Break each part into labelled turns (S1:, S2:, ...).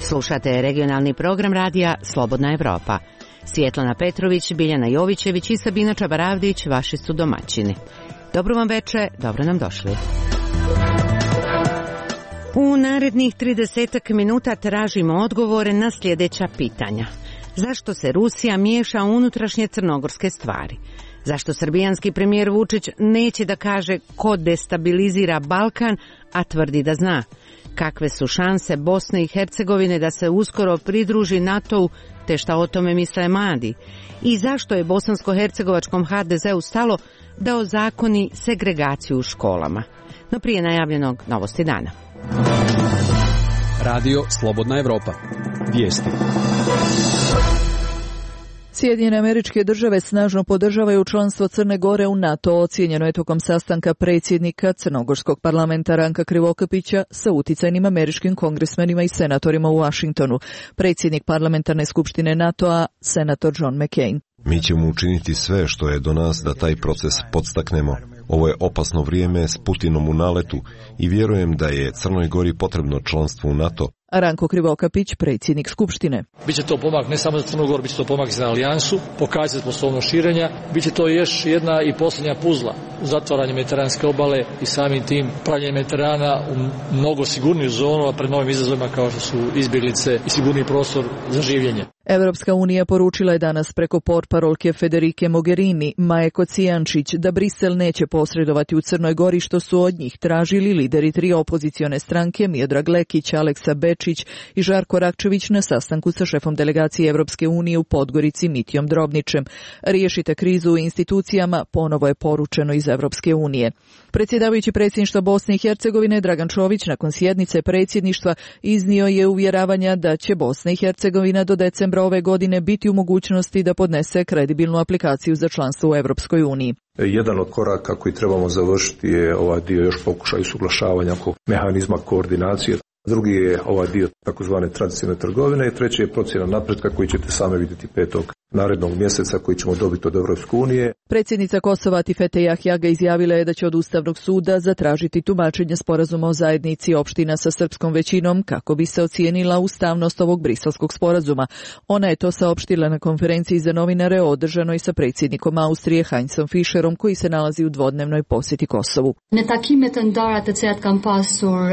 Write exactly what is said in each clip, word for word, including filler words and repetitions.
S1: Slušate regionalni program radija Slobodna Evropa. Svjetlana Petrović, Biljana Jovićević i Sabina Čabaravdić vaši su domaćini. Dobro vam veče, dobro nam došli. U narednih tridesetak minuta tražimo odgovore na sljedeća pitanja. Zašto se Rusija miješa u unutrašnje crnogorske stvari? Zašto srbijanski premijer Vučić neće da kaže ko destabilizira Balkan, a tvrdi da zna? Kakve su šanse Bosne i Hercegovine da se uskoro pridruži NATO-u, te šta o tome misle mladi? I zašto je bosansko-hercegovačkom ha de zeu stalo da ozakoni segregaciju u školama? No prije najavljenog novosti dana.
S2: Radio Slobodna Evropa. Vijesti.
S3: Sjedinjene Američke Države snažno podržavaju članstvo Crne Gore u NATO, ocijenjeno je tokom sastanka predsjednika Crnogorskog parlamenta Ranka Krivokapića sa uticajnim američkim kongresmenima i senatorima u Washingtonu. Predsjednik parlamentarne skupštine NATO-a, senator John McCain.
S4: Mi ćemo učiniti sve što je do nas da taj proces podstaknemo. Ovo je opasno vrijeme s Putinom u naletu i vjerujem da je Crnoj Gori potrebno članstvo u NATO.
S3: Ranko Krivokapić, predsjednik Skupštine.
S5: Biće to pomak ne samo za Crnu Goru, biće to pomak za alijansu, pokazati sposobnost širenja, biće to još jedna i posljednja puzla u zatvaranju mediteranske obale i samim tim pravljenje Mediterana u mnogo sigurniju zonu, a pred novim izazovima kao što su izbjeglice i sigurniji prostor za življenje.
S3: Evropska unija poručila je danas preko portparolke Federike Mogherini, Maje Kocijančić, da Brisel neće posredovati u Crnoj Gori, što su od njih tražili lideri tri opozicione stranke Miodrag Lekić, Aleksa Bečić i Žarko Rakčević na sastanku sa šefom delegacije Evropske unije u Podgorici Mitijom Drobničem. Riješite krizu u institucijama, ponovo je poručeno iz Evropske unije. Predsjedavajući predsjedništva Bosne i Hercegovine Dragan Čović nakon sjednice predsjedništva iznio je uvjeravanja da će Bosna i Hercegovina do decembra ove godine biti u mogućnosti da podnese kredibilnu aplikaciju za članstvo u Evropskoj uniji.
S6: Jedan od koraka koji trebamo završiti je ovaj dio još pokušaj usuglašavanja oko mehanizma koordinacije. Drugi je ovaj dio takozvane tradicionalne trgovine i treći je procjena napretka koji ćete sami vidjeti petog narednog mjeseca koji ćemo dobiti od Evropske unije.
S3: Predsjednica Kosova Tifete Jahjaga izjavila je da će od Ustavnog suda zatražiti tumačenje sporazuma o zajednici opština sa srpskom većinom kako bi se ocijenila ustavnost ovog briselskog sporazuma. Ona je to saopštila na konferenciji za novinare održanoj sa predsjednikom Austrije Heinzom Fischerom koji se nalazi u dvodnevnoj posjeti Kosovu.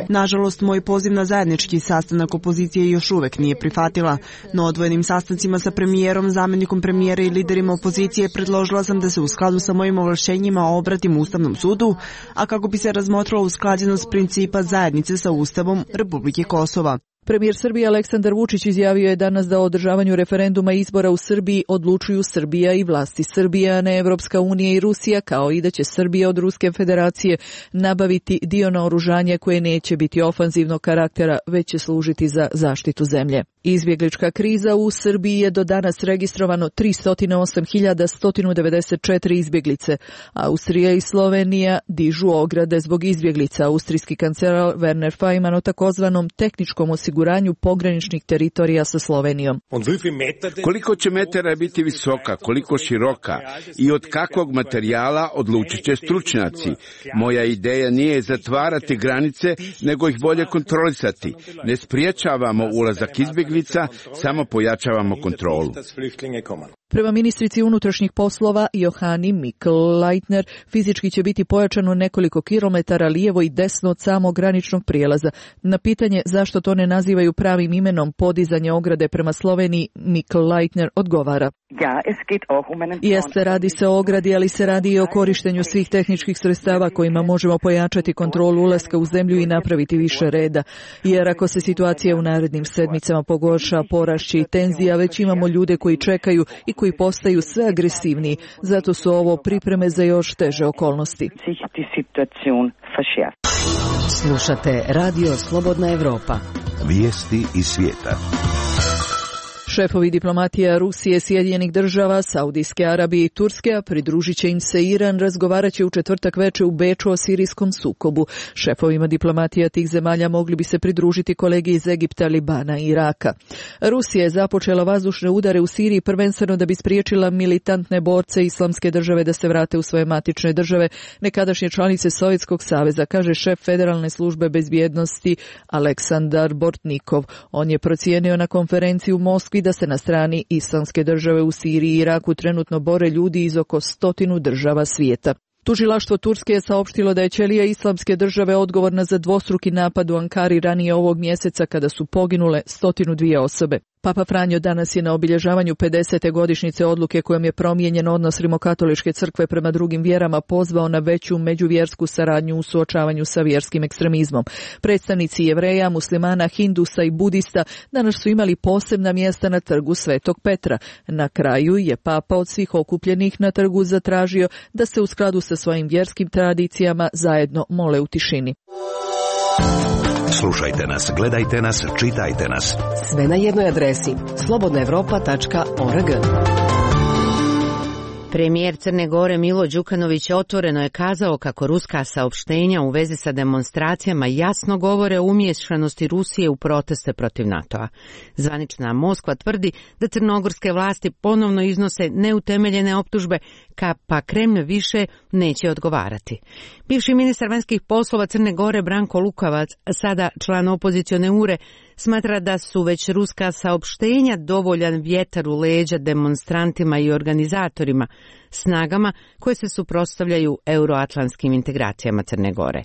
S7: Nažalost, moj poziv na zajednički sastanak opozicije još uvek nije prihvatila, no odvojenim sastancima sa premijerom, zamjenikom premijera i liderima opozicije predložila sam da se u skladu sa mojim ovlašćenjima obratim Ustavnom sudu, a kako bi se razmotrila usklađenost principa zajednice sa Ustavom Republike Kosova.
S3: Premijer Srbije Aleksandar Vučić izjavio je danas da o održavanju referenduma i izbora u Srbiji odlučuju Srbija i vlasti Srbije, a ne Evropska unija i Rusija, kao i da će Srbija od Ruske federacije nabaviti dio naoružanja koje neće biti ofanzivnog karaktera, već će služiti za zaštitu zemlje. Izbjeglička kriza u Srbiji je do danas registrovano tristo osam hiljada sto devedeset četiri izbjeglice. Austrija i Slovenija dižu ograde zbog izbjeglica. Austrijski kancelar Werner Faymann o takozvanom tehničkom osiguranju pograničnih teritorija sa Slovenijom.
S8: Koliko će metara biti visoka, koliko široka i od kakvog materijala odlučit će stručnjaci. Moja ideja nije zatvarati granice, nego ih bolje kontrolisati. Ne spriječavamo ulazak izbjeglica, samo pojačavamo kontrolu.
S3: Prema ministrici unutrašnjih poslova Johani Mikl-Leitner, fizički će biti pojačano nekoliko kilometara lijevo i desno od samog graničnog prijelaza. Na pitanje zašto to ne nazivaju pravim imenom podizanje ograde prema Sloveniji, Mikl-Leitner odgovara. Jeste, radi se o ogradi, ali se radi i o korištenju svih tehničkih sredstava kojima možemo pojačati kontrolu ulaska u zemlju i napraviti više reda. Jer ako se situacija u narednim sedmicama pogorša, porašće i tenzija, već imamo ljude koji čekaju i koji postaju sve agresivniji. Zato su ovo pripreme za još teže okolnosti.
S1: Slušate Radio Slobodna Evropa.
S9: Vijesti iz svijeta.
S3: Šefovi diplomatija Rusije, Sjedinjenih država, Saudijske Arabije i Turske, a pridružit će im se Iran, razgovarat će u četvrtak veče u Beču o sirijskom sukobu. Šefovima diplomatija tih zemalja mogli bi se pridružiti kolege iz Egipta, Libana i Iraka. Rusija je započela vazdušne udare u Siriji prvenstveno da bi spriječila militantne borce Islamske države da se vrate u svoje matične države, nekadašnje članice Sovjetskog saveza, kaže šef Federalne službe bezbjednosti Aleksandar Bortnikov. On je procijenio na konferenciji u Moskvi da se na strani Islamske države u Siriji i Iraku trenutno bore ljudi iz oko stotinu država svijeta. Tužilaštvo Turske je saopštilo da je ćelija Islamske države odgovorna za dvostruki napad u Ankari ranije ovog mjeseca kada su poginule stotinu dvije osobe. Papa Franjo danas je na obilježavanju pedesete godišnjice odluke kojom je promijenjen odnos Rimokatoličke crkve prema drugim vjerama pozvao na veću međuvjersku saradnju u suočavanju sa vjerskim ekstremizmom. Predstavnici Jevreja, muslimana, Hindusa i Budista danas su imali posebna mjesta na trgu Svetog Petra. Na kraju je Papa od svih okupljenih na trgu zatražio da se u skladu sa svojim vjerskim tradicijama zajedno mole u tišini.
S9: Slušajte nas, gledajte nas, čitajte nas.
S10: Sve na jednoj adresi slobodna europa tačka org.
S1: Premijer Crne Gore Milo Đukanović otvoreno je kazao kako ruska saopštenja u vezi sa demonstracijama jasno govore o umiješanosti Rusije u proteste protiv NATO-a. Zvanična Moskva tvrdi da crnogorske vlasti ponovno iznose neutemeljene optužbe, pa Kremlj više neće odgovarati. Bivši ministar vanjskih poslova Crne Gore Branko Lukavac, sada član opozicione ure, smatra da su već ruska saopštenja dovoljan vjetar u leđa demonstrantima i organizatorima, snagama koje se suprotstavljaju euroatlantskim integracijama Crne Gore.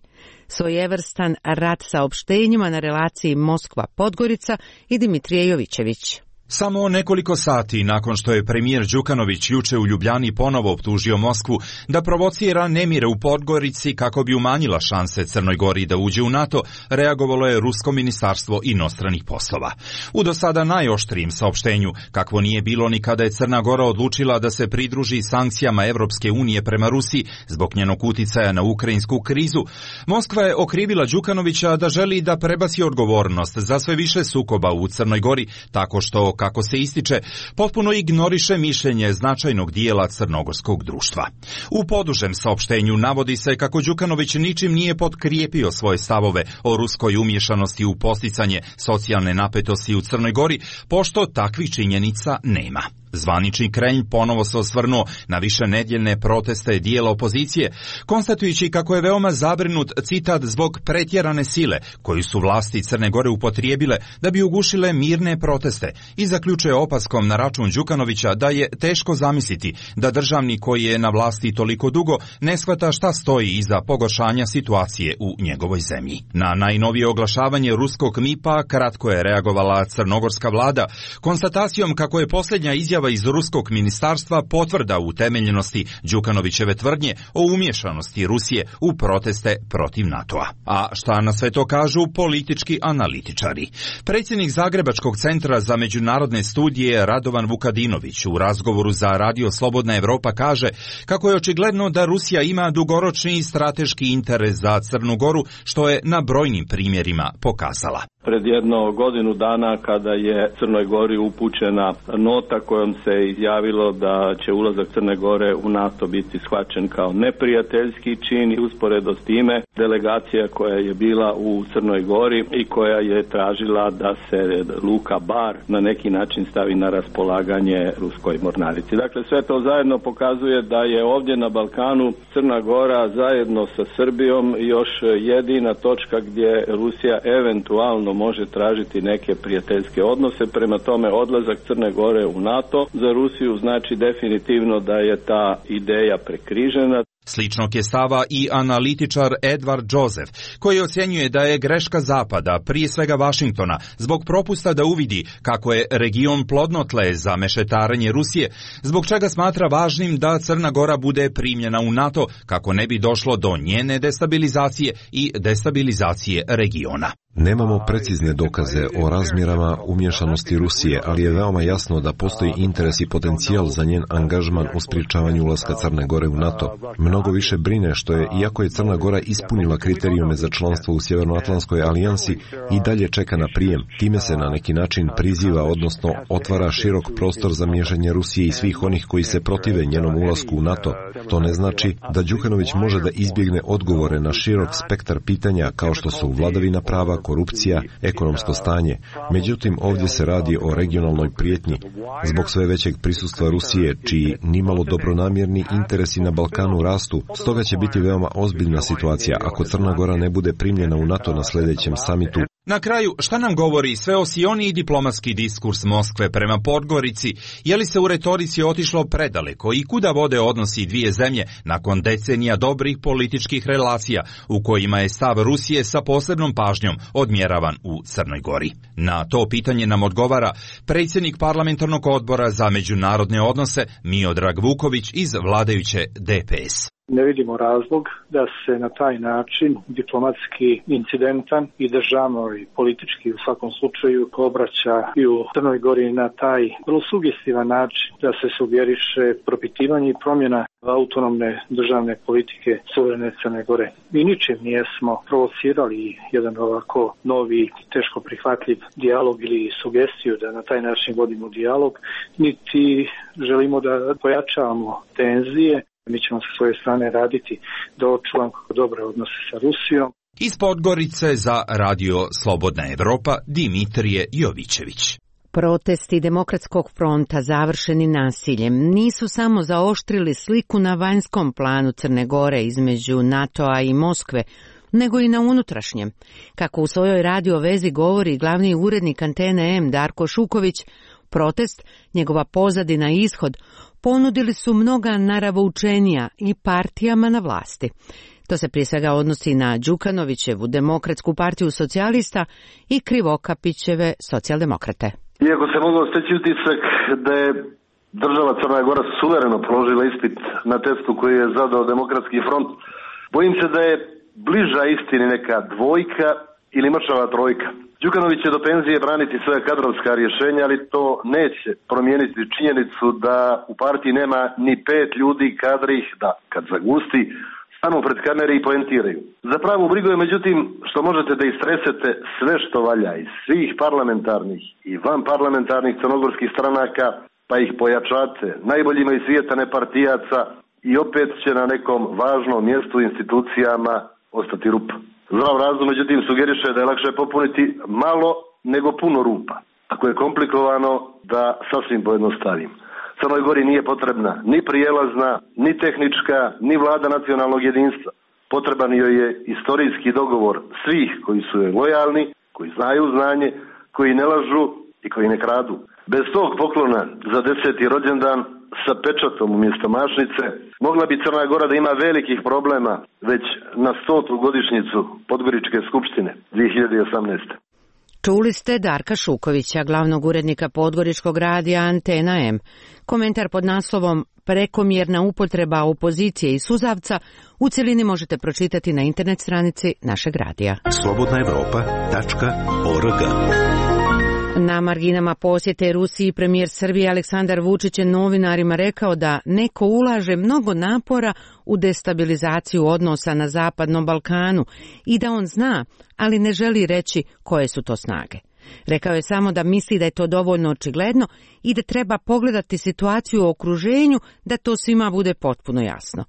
S1: Svojevrstan rat saopštenjima na relaciji Moskva-Podgorica i Dimitrije Jovićević.
S11: Samo nekoliko sati nakon što je premijer Đukanović juče u Ljubljani ponovo optužio Moskvu da provocira nemire u Podgorici kako bi umanjila šanse Crnoj Gori da uđe u NATO, reagovalo je Rusko ministarstvo inostranih poslova. U do sada najoštrijem saopštenju, kakvo nije bilo ni kada je Crna Gora odlučila da se pridruži sankcijama Evropske unije prema Rusiji zbog njenog uticaja na ukrajinsku krizu, Moskva je okrivila Đukanovića da želi da prebaci odgovornost za sve više sukoba u Crnoj Gori tako što, kako se ističe, potpuno ignoriše mišljenje značajnog dijela crnogorskog društva. U podužem saopštenju navodi se kako Đukanović ničim nije potkrijepio svoje stavove o ruskoj umiješanosti u posticanje socijalne napetosti u Crnoj Gori, pošto takvih činjenica nema. Zvanični Kremlj ponovo se osvrnuo na višenedjeljne proteste dijela opozicije, konstatujući kako je veoma zabrinut, citat, zbog pretjerane sile koju su vlasti Crne Gore upotrijebile da bi ugušile mirne proteste, i zaključuje opaskom na račun Đukanovića da je teško zamisliti da državnik koji je na vlasti toliko dugo ne shvata šta stoji iza pogoršanja situacije u njegovoj zemlji. Na najnovije oglašavanje ruskog M I P-a kratko je reagovala crnogorska vlada konstatacijom kako je posljednja izjava iz ruskog ministarstva potvrda utemeljenosti Đukanovićeve tvrdnje o umješanosti Rusije u proteste protiv NATO-a. A šta na sve to kažu politički analitičari? Predsjednik Zagrebačkog centra za međunarodne studije Radovan Vukadinović u razgovoru za Radio Slobodna Evropa kaže kako je očigledno da Rusija ima dugoročni strateški interes za Crnu Goru, što je na brojnim primjerima pokazala.
S12: Pred jedno godinu dana kada je Crnoj Gori upućena nota kojom se izjavilo da će ulazak Crne Gore u NATO biti shvaćen kao neprijateljski čin, i usporedo s time delegacija koja je bila u Crnoj Gori i koja je tražila da se luka Bar na neki način stavi na raspolaganje ruskoj mornarici. Dakle, sve to zajedno pokazuje da je ovdje na Balkanu Crna Gora zajedno sa Srbijom još jedina točka gdje Rusija eventualno može tražiti neke prijateljske odnose. Prema tome, odlazak Crne Gore u NATO za Rusiju znači definitivno da je ta ideja prekrižena.
S11: Sličnog je stava i analitičar Edward Joseph, koji ocjenjuje da je greška Zapada, prije svega Vašingtona, zbog propusta da uvidi kako je region plodno tle za mešetarenje Rusije, zbog čega smatra važnim da Crna Gora bude primljena u NATO kako ne bi došlo do njene destabilizacije i destabilizacije regiona.
S4: Nemamo precizne dokaze o razmjerama umješanosti Rusije, ali je veoma jasno da postoji interes i potencijal za njen angažman u sprječavanju ulaska Crne Gore u NATO. Mnogo više brine što je, iako je Crna Gora ispunila kriterijume za članstvo u Sjevernoatlantskoj alijansi, i dalje čeka na prijem. Time se na neki način priziva, odnosno otvara širok prostor za miješanje Rusije i svih onih koji se protive njenom ulasku u NATO. To ne znači da Đukanović može da izbjegne odgovore na širok spektar pitanja kao što su vladavina prava, korupcija, ekonomsko stanje. Međutim, ovdje se radi o regionalnoj prijetnji. Zbog sve većeg prisustva Rusije, čiji nimalo dobronamjerni interesi na Balkanu rastu, stoga će biti veoma ozbiljna situacija ako Crna Gora ne bude primljena u NATO na sljedećem samitu.
S11: Na kraju, šta nam govori sveosioniji diplomatski diskurs Moskve prema Podgorici? Je li se u retorici otišlo predaleko i kuda vode odnosi dvije zemlje nakon decenija dobrih političkih relacija u kojima je stav Rusije sa posebnom pažnjom odmjeravan u Crnoj Gori? Na to pitanje nam odgovara predsjednik parlamentarnog odbora za međunarodne odnose Miodrag Vuković iz vladajuće D P S.
S13: Ne vidimo razlog da se na taj način diplomatski incidentan i državno i politički u svakom slučaju obraća i u Crnoj Gori na taj vrlo sugestivan način da se sugeriše propitivanje i promjena autonomne državne politike suverene Crne Gore. Mi ničim nijesmo provocirali jedan ovako novi, teško prihvatljiv dijalog ili sugestiju da na taj način vodimo dijalog, niti želimo da pojačavamo tenzije. Mi ćemo sa svoje strane raditi da očuvamo dobre odnose sa Rusijom.
S11: Iz Podgorice za Radio Slobodna Evropa Dimitrije Jovićević.
S1: Protesti Demokratskog fronta završeni nasiljem nisu samo zaoštrili sliku na vanjskom planu Crne Gore između NATO-a i Moskve, nego i na unutrašnjem. Kako u svojoj radio vezi govori glavni urednik Antene M Darko Šuković, protest, njegova pozadina i ishod ponudili su mnoga naravoučenija i partijama na vlasti. To se prije svega odnosi na Đukanovićevu Demokratsku partiju socijalista i Krivokapićeve socijaldemokrate.
S14: Iako se mogao steći utisak da je država Crna Gora suvereno položila ispit na testu koji je zadao Demokratski front, bojim se da je bliža istini neka dvojka ili mršava trojka. Đukanović će do penzije braniti svoja kadrovska rješenja, ali to neće promijeniti činjenicu da u partiji nema ni pet ljudi kadrih da, kad zagusti, stanu pred kamere i poentiraju. Za pravu brigu je međutim što možete da istresete sve što valja iz svih parlamentarnih i vanparlamentarnih crnogorskih stranaka, pa ih pojačate najboljima iz svijeta nepartijaca i opet će na nekom važnom mjestu u institucijama ostati rupa. Zdrav razum, međutim, sugeriše da je lakše popuniti malo nego puno rupa. Ako je komplikovano, da sasvim pojednostavim. Crnoj Gori nije potrebna ni prijelazna, ni tehnička, ni vlada nacionalnog jedinstva. Potreban joj je istorijski dogovor svih koji su joj lojalni, koji znaju znanje, koji ne lažu i koji ne kradu. Bez tog poklona za deseti rođendan sa pečatom umjesto mašnice, mogla bi Crna Gora da ima velikih problema već na stotu godišnjicu Podgoričke skupštine dvije hiljade osamnaeste.
S1: Čuli ste Darka Šukovića, glavnog urednika Podgoričkog radija Antena M. Komentar pod naslovom Prekomjerna upotreba opozicije i suzavca u cjelini možete pročitati na internet stranici našeg radija.
S9: slobodna evropa tačka org.
S1: Na marginama posjete Rusiji premijer Srbije Aleksandar Vučić je novinarima rekao da neko ulaže mnogo napora u destabilizaciju odnosa na Zapadnom Balkanu i da on zna, ali ne želi reći koje su to snage. Rekao je samo da misli da je to dovoljno očigledno i da treba pogledati situaciju u okruženju da to svima bude potpuno jasno.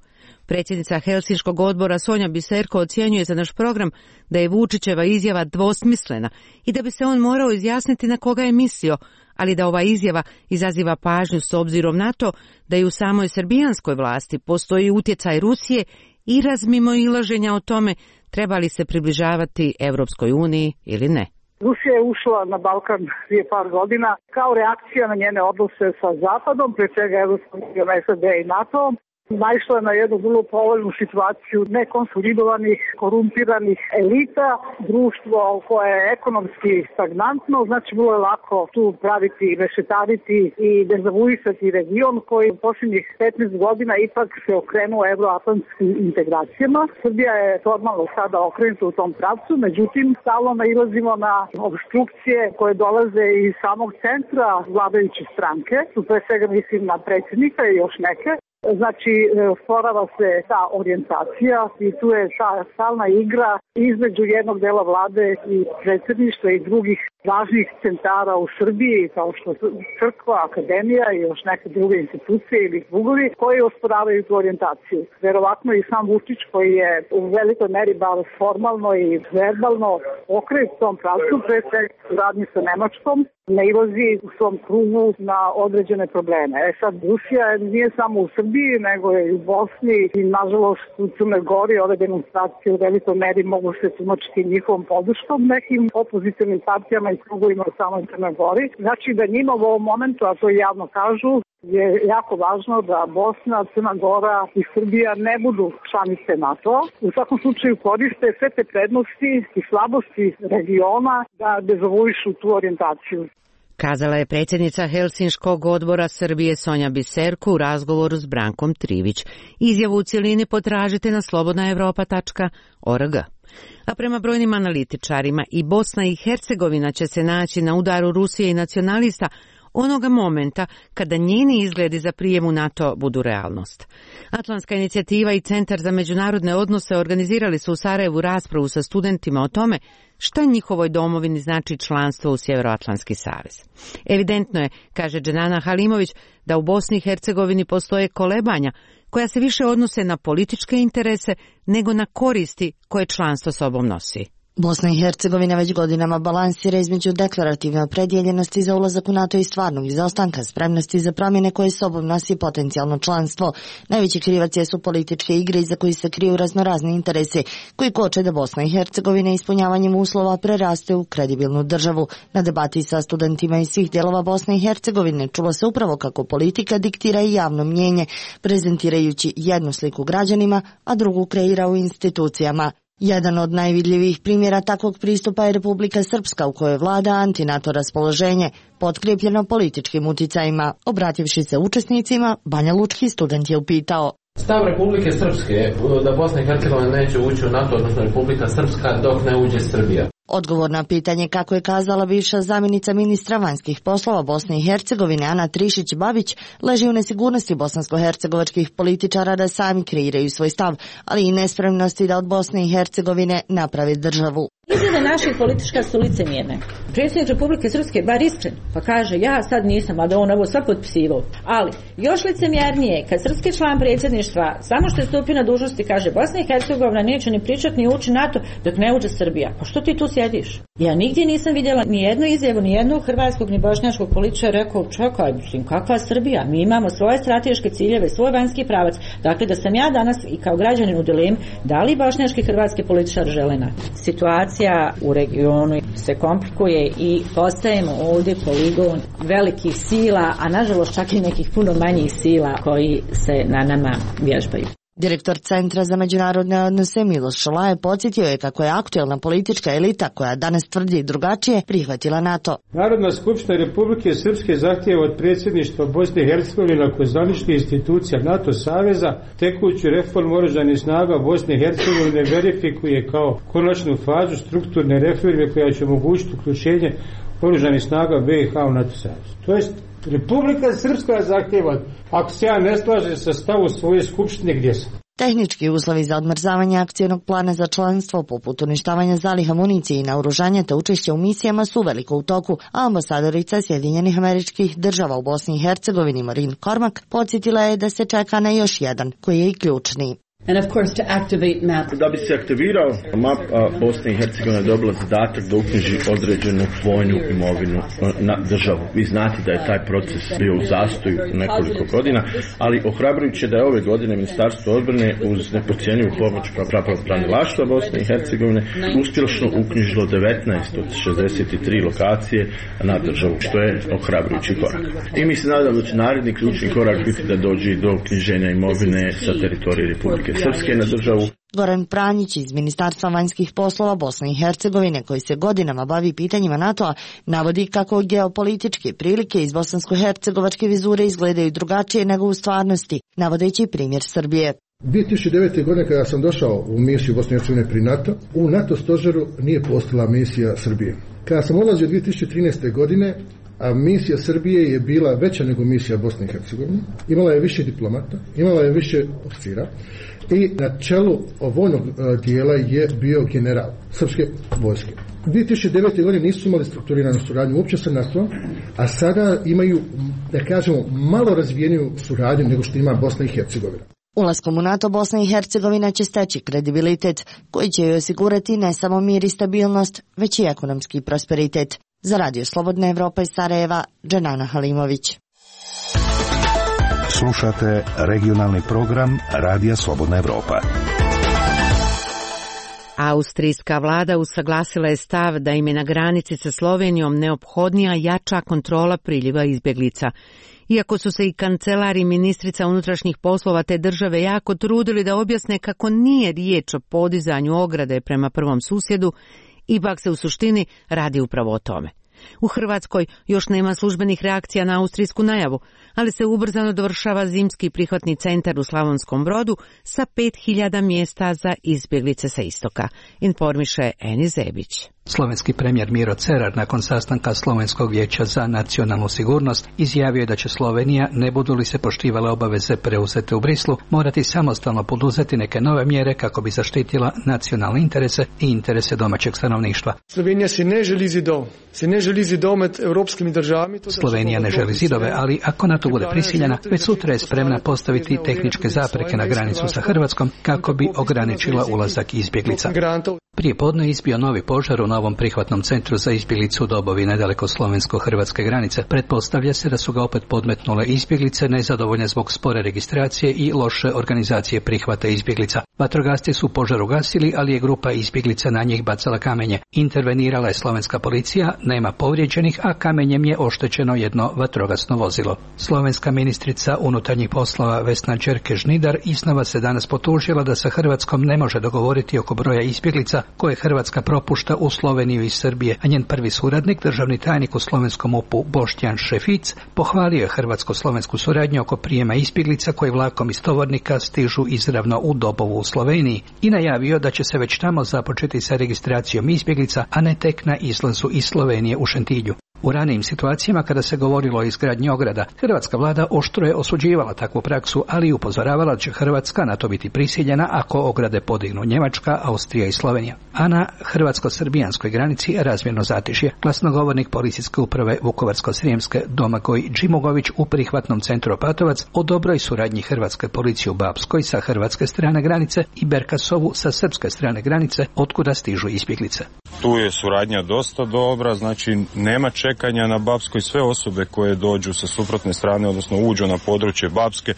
S1: Predsjednica Helsinškog odbora Sonja Biserko ocjenjuje za naš program da je Vučićeva izjava dvosmislena i da bi se on morao izjasniti na koga je mislio, ali da ova izjava izaziva pažnju s obzirom na to da i u samoj srbijanskoj vlasti postoji utjecaj Rusije i razmimoilaženja o tome treba li se približavati Europskoj uniji ili ne.
S15: Rusija je ušla na Balkan prije par godina kao reakcija na njene odnose sa Zapadom, prije svega Europskom unijom, S A D i NATO-om. naišla je na jednu vrlo povoljnu situaciju nekonsolidovanih, korumpiranih elita, društvo koje je ekonomski stagnantno, znači vrlo je lako tu praviti, rešetariti i dezavuisati region koji u posljednjih petnaest godina ipak se okrenuo evroatlantskim integracijama. Srbija je formalno sada okrenuta u tom pravcu, međutim stalno nailazimo na obstrukcije koje dolaze iz samog centra vladajuće stranke, tu pre svega mislim na predsjednika i još neke. Znači, sporava se ta orijentacija i tu je ta stalna igra između jednog dela vlade i predsjedništva i drugih važnih centara u Srbiji, kao što su crkva, akademija i još neke druge institucije ili drugovi koji osporavaju tu orijentaciju. Verovatno i sam Vučić koji je u velikoj meri bar formalno i verbalno okrenut tom pravcu, pre svega u radnji sa Nemačkom, nailazi u svom krugu na određene probleme. E sad, Rusija nije samo u Srbiji, nego je i u Bosni i nažalost u Crnoj Gori ove demonstracije u velikoj meri mogu se tumačiti njihovom podrškom nekim opozicionim partijama i krugovima u samoj Crnoj Gori. Znači da njima u ovom momentu, a to javno kažu, je jako važno da Bosna, Crna Gora i Srbija ne budu članice NATO. U svakom slučaju koriste sve te prednosti i slabosti regiona da dezavuišu tu orijentaciju.
S1: Kazala je predsjednica Helsinškog odbora Srbije Sonja Biserko u razgovoru s Brankom Trivić. Izjavu u cjelini potražite na slobodna evropa tačka org. A prema brojnim analitičarima i Bosna i Hercegovina će se naći na udaru Rusije i nacionalista onoga momenta kada njeni izgledi za prijem u NATO budu realnost. Atlantska inicijativa i Centar za međunarodne odnose organizirali su u Sarajevu raspravu sa studentima o tome šta njihovoj domovini znači članstvo u Sjeveroatlantski savez. Evidentno je, kaže Dženana Halimović, da u Bosni i Hercegovini postoje kolebanja koja se više odnose na političke interese nego na koristi koje članstvo sobom nosi.
S16: Bosna i Hercegovina već godinama balansira između deklarativne opredjeljenosti za ulazak u NATO i stvarnog izostanka spremnosti za promjene koje sobom nosi potencijalno članstvo. Najveći krivac jesu političke igre iza koji se kriju raznorazni interesi koji koče da Bosna i Hercegovina ispunjavanjem uslova preraste u kredibilnu državu. Na debati sa studentima iz svih dijelova Bosne i Hercegovine čulo se upravo kako politika diktira i javno mnjenje, prezentirajući jednu sliku građanima, a drugu kreira u institucijama. Jedan od najvidljivijih primjera takvog pristupa je Republika Srpska u kojoj vlada antinato raspoloženje, potkrijepljeno političkim uticajima. Obrativši se učesnicima, Banja Lučki student je upitao:
S17: Stav Republike Srpske je da Bosna i Hercegovina neće ući u NATO, odnosno Republika Srpska, dok ne uđe Srbija.
S16: Odgovor na pitanje, kako je kazala bivša zamjenica ministra vanjskih poslova Bosne i Hercegovine Ana Trišić-Babić, leži u nesigurnosti bosansko-hercegovačkih političara da sami kreiraju svoj stav, ali i nespremnosti da od Bosne i Hercegovine naprave državu.
S18: Izjave naših politička su licemjerne. Predsjednik Republike Srpske bar iskren, pa kaže ja sad nisam, a da on ovo sve potpisivao. Ali još licemjernije kad srpski član predsjedništva samo što je stupio na dužnosti kaže Bosna i Hercegovina neće ni pričati ni ući NATO dok ne uđe Srbija. Pa što ti tu sjediš? Ja nigdje nisam vidjela ni jednu izjavu, ni jednog hrvatskog ni bošnjačkog političara rekao čekaj, mislim, kakva Srbija? Mi imamo svoje strateške ciljeve, svoj vanjski pravac. Dakle, da sam ja danas i kao građanin u dilemi da li bošnjački hrvatski političar žele NATO. Situacija u regionu se komplikuje i postajemo ovdje poligon velikih sila, a nažalost čak i nekih puno manjih sila koji se na nama vježbaju.
S16: Direktor Centra za međunarodne odnose Miloš Šolaje podsjetio je kako je aktuelna politička elita, koja danas tvrdi drugačije, prihvatila NATO.
S19: Narodna skupština Republike Srpske zahtijeva od predsjedništva Bosne i Hercegovine kao zvaničnih institucija NATO saveza tekuću reformu oružanih snaga Bosne i Hercegovine verifikuje kao konačnu fazu strukturne reforme koja će omogućiti uključenje oružanih snaga B i H u NATO savez. To jest Republika Srpska zahtjeva, ako se ja ne slažem sa stavom svoje skupštine, gdje sam.
S16: Tehnički uslovi za odmrzavanje akcijnog plana za članstvo, poput uništavanja zaliha municije i naoružanja te učešća u misijama, su veliko u toku, a ambasadorica Sjedinjenih Američkih Država u Bosni i Hercegovini Marin Cormack podsjetila je da se čeka na još jedan, koji je i ključni.
S20: And of course to activate map.
S21: Da bi se aktivirao map, Bosna i Hercegovina je dobila zadatak da uknjiži određenu vojnu imovinu na državu. Vi znate da je taj proces bio u zastoju nekoliko godina, ali ohrabrujuće da je ove godine Ministarstvo odbrane uz neprocjenjivu pomoć pravobranilaštva Bosne i Hercegovine uspješno uknjižilo devetnaest od šezdeset tri lokacije na državu, što je ohrabrujući korak. I mi se nadamo da će naredni ključni korak biti da dođe do uknjiženja imovine sa teritorije Republike Srpske na državu.
S16: Goran Pranjić iz Ministarstva vanjskih poslova Bosne i Hercegovine, koji se godinama bavi pitanjima NATO-a, navodi kako geopolitičke prilike iz bosansko-hercegovačke vizure izgledaju drugačije nego u stvarnosti, navodeći primjer Srbije.
S22: dvije tisuće devete. godine kada sam došao u misiju Bosne i Hercegovine pri NATO, u NATO stožeru nije postojala misija Srbije. Kada sam odlazio dvije tisuće trinaeste. godine, a misija Srbije je bila veća nego misija Bosne i Hercegovine, imala je više diplomata, imala je više oficira i na čelu vojnog dijela je bio general srpske vojske. dvije tisuće devete. godine nisu imali strukturiranu suradnju uopće sa NATO, a sada imaju, da kažemo, malo razvijeniju suradnju nego što ima Bosna i Hercegovina.
S16: Ulaskom u NATO Bosna i Hercegovina će steći kredibilitet koji će joj osigurati ne samo mir i stabilnost, već i ekonomski prosperitet. Za Radio Slobodna Evropa iz Sarajeva, Dženana Halimović.
S9: Slušate regionalni program Radija Slobodna Evropa.
S1: Austrijska vlada usaglasila je stav da im je na granici sa Slovenijom neophodnija jača kontrola priliva izbjeglica. Iako su se i kancelar i ministrica unutrašnjih poslova te države jako trudili da objasne kako nije riječ o podizanju ograde prema prvom susjedu, ipak se u suštini radi upravo o tome. U Hrvatskoj još nema službenih reakcija na austrijsku najavu, ali se ubrzano dovršava zimski prihvatni centar u Slavonskom Brodu sa pet hiljada mjesta za izbjeglice sa istoka, informiše Eni Zebić.
S23: Slovenski premijer Miro Cerar nakon sastanka Slovenskog vijeća za nacionalnu sigurnost izjavio je da će Slovenija, ne budu li se poštivale obaveze preuzete u Brislu, morati samostalno poduzeti neke nove mjere kako bi zaštitila nacionalne interese i interese domaćeg stanovništva.
S24: Slovenija se ne želi zidov, se ne želi zidov med evropskimi državami.
S23: Slovenija ne želi zidove, ali ako na to bude prisiljena, već sutra je spremna postaviti tehničke zapreke na granicu sa Hrvatskom kako bi ograničila ulazak izbjeglica. Prije podne je izbio novi požar u novom prihvatnom centru za izbjeglicu u Dobovi nedaleko slovensko-hrvatske granice. Pretpostavlja se da su ga opet podmetnule izbjeglice nezadovoljne zbog spore registracije i loše organizacije prihvata izbjeglica. Vatrogasci su požar ugasili, ali je grupa izbjeglica na njih bacala kamenje. Intervenirala je slovenska policija, nema povrijeđenih, a kamenjem je oštećeno jedno vatrogasno vozilo. Slovenska ministrica unutarnjih poslova Vesna Đerke-Žnidar iznova se danas potužila da sa Hrvatskom ne može dogovoriti oko broja izbjeglica koje Hrvatska propušta u Sloveniju iz Srbije, a njen prvi suradnik, državni tajnik u slovenskom U P U Boštjan Šefic, pohvalio je hrvatsko-slovensku suradnju oko prijema izbjeglica koji vlakom iz Tovornika stižu izravno u Dobovu u Sloveniji i najavio da će se već tamo započeti sa registracijom izbjeglica, a ne tek na izlazu iz Slovenije u Šentilju. U ranijim situacijama kada se govorilo o izgradnji ograda, hrvatska vlada oštro je osuđivala takvu praksu, ali i upozoravala da će Hrvatska na to biti prisiljena ako ograde podignu Njemačka, Austrija i Slovenija. A na hrvatsko-srbijanskoj granici razmjerno zatišje. Glasnogovornik policijske uprave Vukovarsko-srijemske Domagoj Džimugović u prihvatnom centru Opatovac o dobroj suradnji hrvatske policije u Bapskoj sa hrvatske strane granice i Berkasovu sa srpske strane granice, otkuda stižu izbjeglice.
S25: Tu je suradnja dosta dobra, znači nema čekanja na Bapskoj, sve osobe koje dođu sa suprotne strane, odnosno uđu na područje Bapske,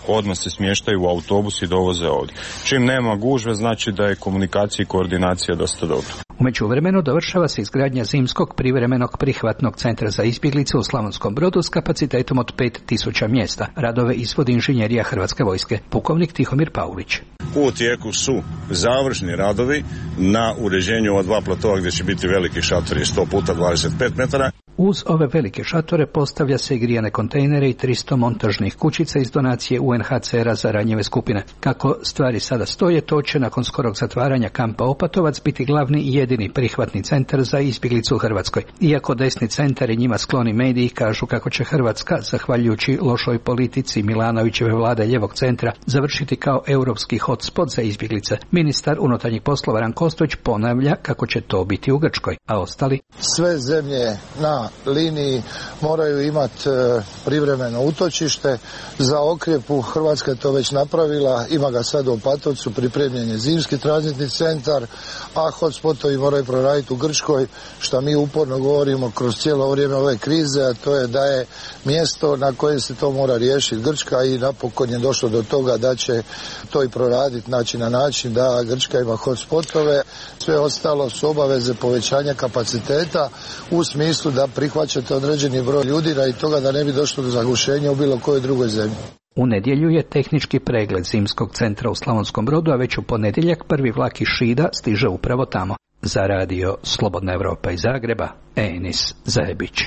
S25: odmah se smještaju u autobus i dovoze ovdje. Čim nema gužve, znači da je komunikacija i koordinacija dosta dobra.
S23: U međuvremenu dovršava se izgradnja zimskog privremenog prihvatnog centra za izbjeglice u Slavonskom Brodu s kapacitetom od pet tisuća mjesta. Radove izvodi inženjerija Hrvatske vojske. Pukovnik Tihomir Paulić.
S26: U tijeku su završni radovi na uređenju ova dva platova gdje će biti veliki šatori sto puta dvadeset pet metara.
S23: Uz ove velike šatore postavlja se i grijane kontejnere i tristo montažnih kućica iz donacije U N H C R-a za ranjive skupine. Kako stvari sada stoje, to će nakon skorog zatvaranja kampa Opatovac biti glavni i jedini prihvatni centar za izbjeglicu u Hrvatskoj. Iako desni centar i njima skloni mediji kažu kako će Hrvatska, zahvaljujući lošoj politici Milanovićeve vlade ljevog centra, završiti kao europski hotspot za izbjeglice, ministar unutarnjih poslova Ranko Ostojić ponavlja kako će to biti u Grčkoj, a ostali?
S27: Sve zemlje na
S2: na liniji moraju imati privremeno utočište. Za Okrjepu Hrvatska je to već napravila, ima ga sad u Opatovcu, pripremljen je zimski tranzitni centar, a hotspotovi moraju proraditi u Grčkoj, što mi uporno govorimo kroz cijelo vrijeme ove krize, a to je da je mjesto na kojem se to mora riješiti Grčka i napokon je došlo do toga da će to i proraditi, znači na način da Grčka ima hotspotove. Sve ostalo su obaveze povećanja kapaciteta u smislu da prihvaćate određeni broj ljudi radi toga da ne bi došlo do zagušenja u bilo kojoj drugoj zemlji.
S23: U nedjelju je tehnički pregled zimskog centra u Slavonskom Brodu, a već u ponedjeljak prvi vlak iz Šida stiže upravo tamo. Za radio Slobodna Evropa iz Zagreba, Enis Zajebić.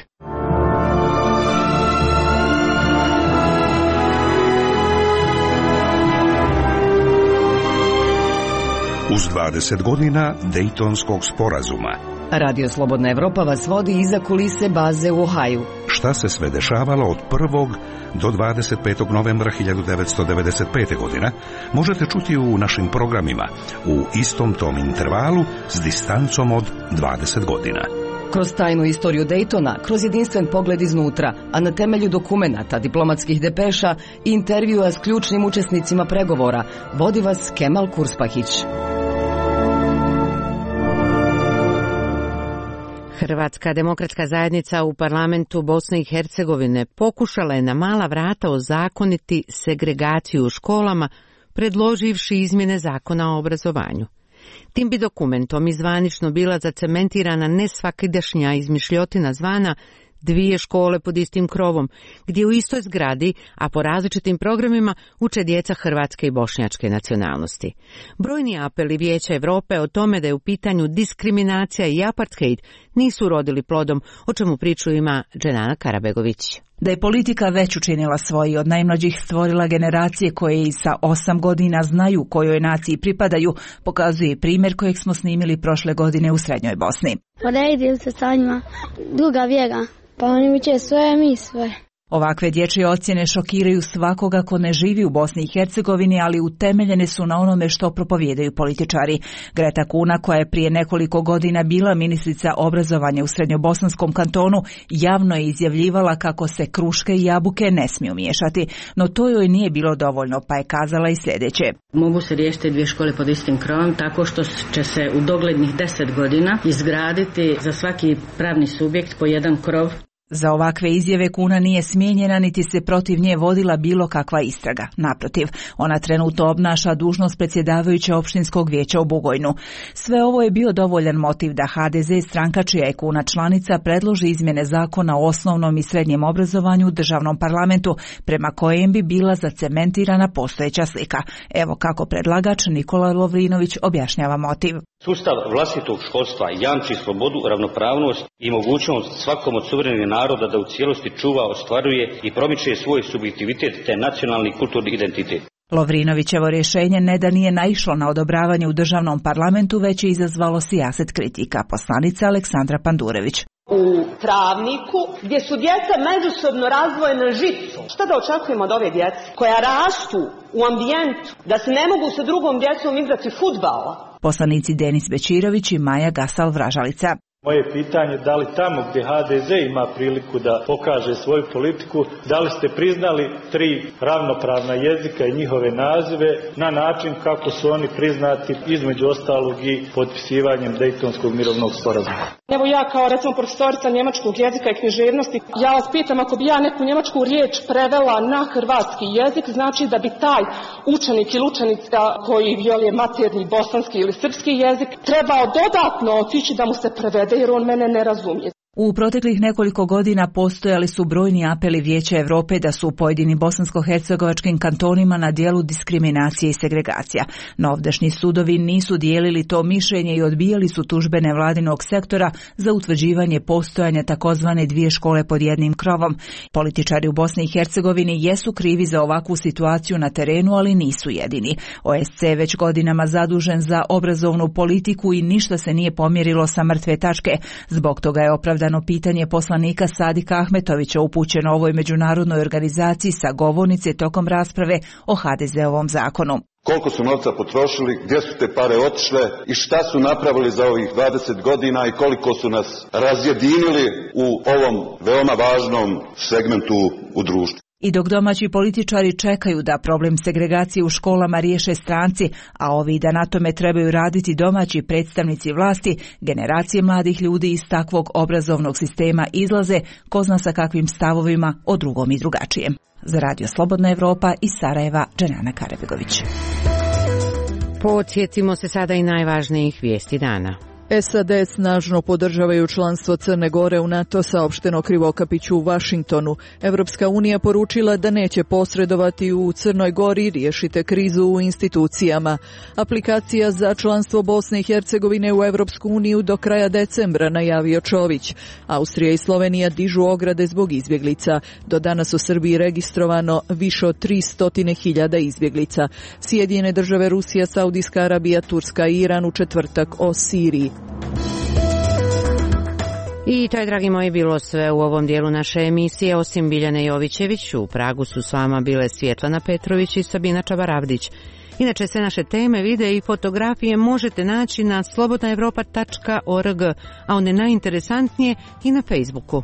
S9: Uz dvadeset godina Dejtonskog sporazuma.
S10: Radio Slobodna Evropa vas vodi iza kulise baze u Ohaju.
S9: Šta se sve dešavalo od prvog do dvadeset petog novembra hiljadu devetsto devedeset pete. godine, možete čuti u našim programima u istom tom intervalu s distancom od dvadeset godina.
S10: Kroz tajnu istoriju Dejtona, kroz jedinstven pogled iznutra, a na temelju dokumenata, diplomatskih depeša i intervjua s ključnim učesnicima pregovora, vodi vas Kemal Kurspahić.
S1: Hrvatska demokratska zajednica u parlamentu Bosne i Hercegovine pokušala je na mala vrata ozakoniti segregaciju u školama, predloživši izmjene zakona o obrazovanju. Tim bi dokumentom izvanično bila zacementirana nesvakidašnja izmišljotina zvana dvije škole pod istim krovom, gdje u istoj zgradi, a po različitim programima, uče djeca hrvatske i bošnjačke nacionalnosti. Brojni apeli Vijeća Europe o tome da je u pitanju diskriminacija i apartheid nisu rodili plodom, o čemu priču ima Dženana Karabegović.
S5: Da je politika već učinila svoji, od najmlađih stvorila generacije koje i sa osam godina znaju kojoj naciji pripadaju, pokazuje primjer kojeg smo snimili prošle godine u Srednjoj Bosni.
S6: Poredili se sa njima druga vjera, pa oni uče svoje, mi svoje.
S5: Ovakve dječje ocjene šokiraju svakoga ko ne živi u Bosni i Hercegovini, ali utemeljene su na onome što propovijedaju političari. Greta Kuna, koja je prije nekoliko godina bila ministrica obrazovanja u Srednjobosanskom kantonu, javno je izjavljivala kako se kruške i jabuke ne smiju miješati, no to joj nije bilo dovoljno, pa je kazala i sljedeće.
S7: Mogu se riješiti dvije škole pod istim krovom tako što će se u doglednih deset godina izgraditi za svaki pravni subjekt po jedan krov.
S5: Za ovakve izjave Kuna nije smijenjena niti se protiv nje vodila bilo kakva istraga. Naprotiv, ona trenutno obnaša dužnost predsjedavajuće opštinskog vijeća u Bugojnu. Sve ovo je bio dovoljan motiv da ha de ze, stranka čija je Kuna članica, predloži izmjene zakona o osnovnom i srednjem obrazovanju u državnom parlamentu, prema kojem bi bila zacementirana postojeća slika. Evo kako predlagač Nikola Lovrinović objašnjava motiv.
S8: Sustav vlastitog školstva jamči slobodu, ravnopravnost i mogućnost svakom od suverenih naroda da u cijelosti čuva, ostvaruje i promiče svoj subjektivitet te nacionalni kulturni identitet.
S5: Lovrinovićevo rješenje ne da nije naišlo na odobravanje u državnom parlamentu, već je izazvalo sijaset kritika. Poslanica Aleksandra Pandurević.
S20: U travniku gdje su djeca međusobno razdvojena žicom. Šta da očekujemo od ove djece koja rastu u ambijentu da se ne mogu sa drugom djecom igrati fudbala?
S5: Poslanici Denis Bečirović i Maja Gasal-Vražalica.
S27: Moje pitanje je da li tamo gdje ha de ze ima priliku da pokaže svoju politiku, da li ste priznali tri ravnopravna jezika i njihove nazive na način kako su oni priznati između ostalog i potpisivanjem Dejtonskog mirovnog sporazuma.
S20: Evo ja kao recimo profesorica njemačkog jezika i književnosti, ja vas pitam ako bi ja neku njemačku riječ prevela na hrvatski jezik, znači da bi taj učenik ili učenica koji je maternji bosanski ili srpski jezik trebao dodatno otići da mu se prevede jer on mene ne razumije.
S5: U proteklih nekoliko godina postojali su brojni apeli Vijeća Europe da su u pojedinim bosansko-hercegovačkim kantonima na dijelu diskriminacije i segregacija. No ovdašnji sudovi nisu dijelili to mišljenje i odbijali su tužbe nevladinog sektora za utvrđivanje postojanja takozvane dvije škole pod jednim krovom. Političari u Bosni i Hercegovini jesu krivi za ovakvu situaciju na terenu, ali nisu jedini. O es ce već godinama zadužen za obrazovnu politiku i ništa se nije pomjerilo sa mrtve tačke. Zbog toga je opravdano opravdano pitanje poslanika Sadika Ahmetovića upućeno ovoj međunarodnoj organizaciji sa govornice tokom rasprave o ha de zeovom zakonu.
S3: Koliko su novca potrošili, gdje su te pare otišle i šta su napravili za ovih dvadeset godina i koliko su nas razjedinili u ovom veoma važnom segmentu u društvu.
S5: I dok domaći političari čekaju da problem segregacije u školama riješe stranci, a ovi da na tome trebaju raditi domaći predstavnici vlasti, generacije mladih ljudi iz takvog obrazovnog sistema izlaze, ko zna sa kakvim stavovima o drugom i drugačijem. Za Radio Slobodna Evropa iz Sarajeva, Dženana Karabegović.
S1: Podsjetimo se sada i najvažnijih vijesti dana.
S4: es a de snažno podržavaju članstvo Crne Gore u NATO, saopšteno Krivokapiću u Vašingtonu. Evropska unija poručila da neće posredovati u Crnoj Gori, riješite krizu u institucijama. Aplikacija za članstvo Bosne i Hercegovine u Evropsku uniju do kraja decembra, najavio Čović. Austrija i Slovenija dižu ograde zbog izbjeglica. Do danas u Srbiji registrovano više od tristo hiljada izbjeglica. Sjedinjene države, Rusija, Saudijska Arabija, Turska i Iran u četvrtak o Siriji.
S1: I to je, dragi moji, bilo sve u ovom dijelu naše emisije. Osim Biljane Jovićević, u Pragu su s vama bile Svjetlana Petrović i Sabina Čabaravdić. Inače, sve naše teme, videe i fotografije možete naći na slobodna evropa tačka org, a one najinteresantnije i na Facebooku.